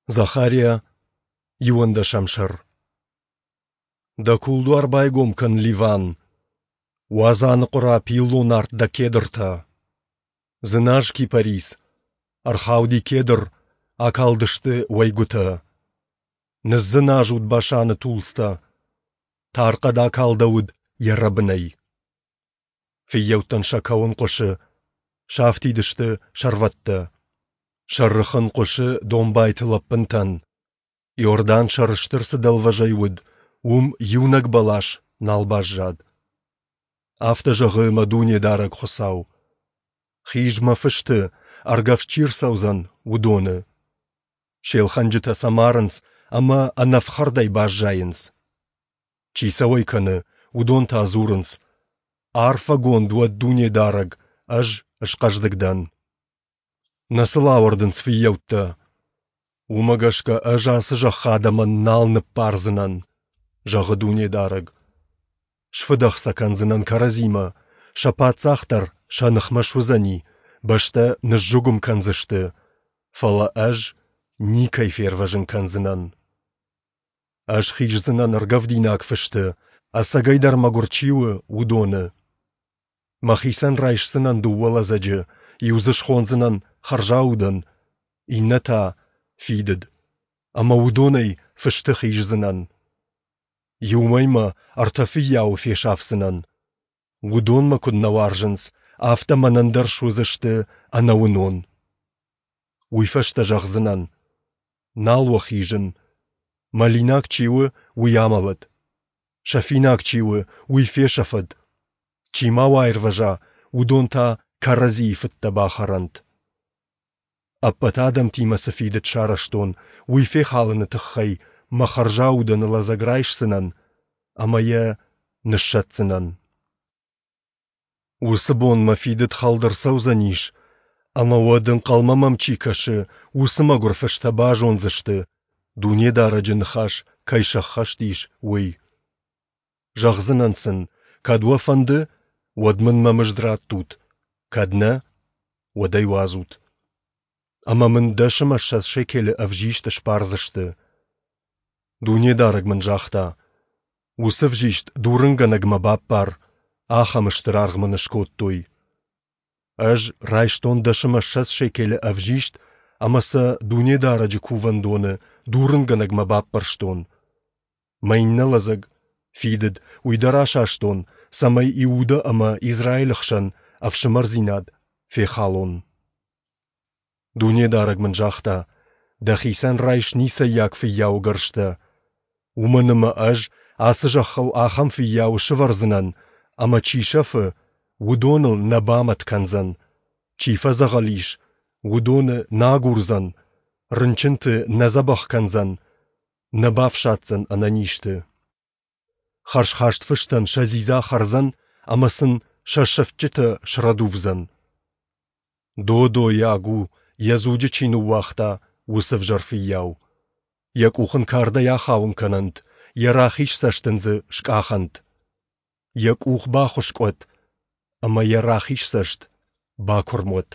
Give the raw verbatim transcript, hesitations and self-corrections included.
Захариа, иуӕндӕсӕм сӕр. Дӕ кулдуар байгом кӕн, Ливан! Уадз аныхъуыра пиллон арт дӕ кедртӕ! Дзыназ, кипарис! Ӕрхауди кедр, акалдысты уӕйгуытӕ. Ныдздзыназут Башаны тулдзтӕ! Тархъӕд акалдӕуыд йӕ рӕбынӕй. Фыййӕуттӕн сӕ кӕуын хъуысы, сафтид сты сӕрвӕттӕ. Сӕ рыхын хъуысы домбайты лӕппынтӕн. Иордан сӕрыстыр цы дӕлвӕзӕй уыд, уым иунӕг бӕлас нал баззад. Афтӕ зӕгъы мӕ Дунедарӕг Хуыцау: Хиз мӕ фысты, ӕргӕвст чи рцӕудзӕн, уыдоны. Се лхӕнджытӕ сӕ марынц ӕмӕ ӕнӕфхӕрдӕй баззайынц. Чи сӕ уӕй кӕны, уыдон та дзурынц: Арфӕгонд уӕд Дунедарӕг, ӕз схъӕздыг дӕн. Нӕ сыл ауӕрдынц фыййӕуттӕ. Уымӕ гӕсгӕ ӕз ацы зӕххы адӕмӕн нал ныббардзынӕн, зӕгъы Дунедарӕг. Сфыдӕх сӕ кӕндзынӕн кӕрӕдзимӕ, сӕ паддзах дӕр сӕ ныхмӕ суыдзӕни, бӕстӕ ныззыгуым кӕндзысты, фӕлӕ ӕз никӕй фервӕзын кӕндзынӕн. Ӕз хиздзынӕн ӕргӕвдинаг фысты, ӕцӕгӕйдӕр мӕгуыр чи у, уыдоны. Мӕхицӕн райсдзынӕн дыууӕ лӕдзӕджы, иу дзы схондзынӕн хӕрзаудӕн, иннӕ та фидыд, ӕмӕ уыдонӕй фысты хиздзынӕн. Иу мӕймӕ ӕртӕ фыййауы фесафдзынӕн. Уыдон мӕ куыд нӕ уарзынц, афтӕ мӕнӕн дӕр суыдзысты ӕнӕуынон. Уый фӕстӕ зӕгъдзынӕн: нал уӕ хизын. Мӕлинаг чи у, уый амӕлӕд. Сӕфинаг чи у, уый фесӕфӕд. Чи ма уӕ аирвӕза, уыдон та кӕрӕдзийы фыдтӕ бахӕрӕнт. Ӕппӕт адӕмтимӕ цы фидыд сарӕзтон, уый фехалыны тыххӕй мӕ хӕрзаудӕны лӕдзӕг райсдзынӕн ӕмӕ йӕ ныссӕтдзынӕн. Уыцы бон мӕ фидыд хӕлд ӕрцӕудзӕнис, ӕмӕ уӕд ӕнхъӕлмӕ мӕм чи кӕсы, уыцы мӕгуыр фыстӕ базондзысты, Дунедарӕджы ныхас кӕй сӕххӕст ис, уый. Зӕгъдзынӕн сын, кӕд уӕ фӕнды, уӕд мын мӕ мызд раттут, кӕд нӕ, уӕд ӕй уадзут. Ӕмӕ мын дӕс ӕмӕ ссӕдз шекелы ӕвзист сбардзысты. Дунедарӕг мын загъта: уыцы ӕвзист дурынгӕнӕгмӕ баппар, ахӕм стыр аргъ мын скодтой. Ӕз райстон дӕс ӕмӕ ссӕдз шекелы ӕвзист ӕмӕ сӕ Дунедарӕджы кувӕндоны дурынгӕнӕгмӕ баппӕрстон. Мӕ иннӕ лӕдзӕг, фидыд, уый дӕр асастон, цӕмӕй Иуда ӕмӕ Израилы хсӕн ӕфсымӕрдзинад фехалон. Дунедарӕг мын загъта: дӕхицӕн райс ницӕййаг фыййауы гӕрзтӕ, уымӕн ӕмӕ ӕз ацы зӕххыл ахӕм фыййауы сӕвӕрдзынӕн, ӕмӕ чи сӕфы, уыдоныл нӕ бамӕт кӕндзӕн, чи фӕдзӕгъӕл ис, уыдоны нӕ агурдзӕн, рынчынты нӕ дзӕбӕх кӕндзӕн, нӕ бафсаддзӕн ӕнӕнизты. Хӕрзхаст фыстӕн сӕ дзидза хӕрдзӕн ӕмӕ сын сӕ сӕфтджытӕ срӕдувдзӕн. Додойаг у, йӕ дзуджы чи ныууагъта, уыцы ӕвзӕр фыййау. Йӕ къух ын кардӕй ахауын кӕнӕнт, йӕ рахиз цӕст ын дзы скъахӕнт. Йӕ къух бахуыскъ уӕд, ӕмӕ йӕ рахиз цӕст бакуырм уӕд.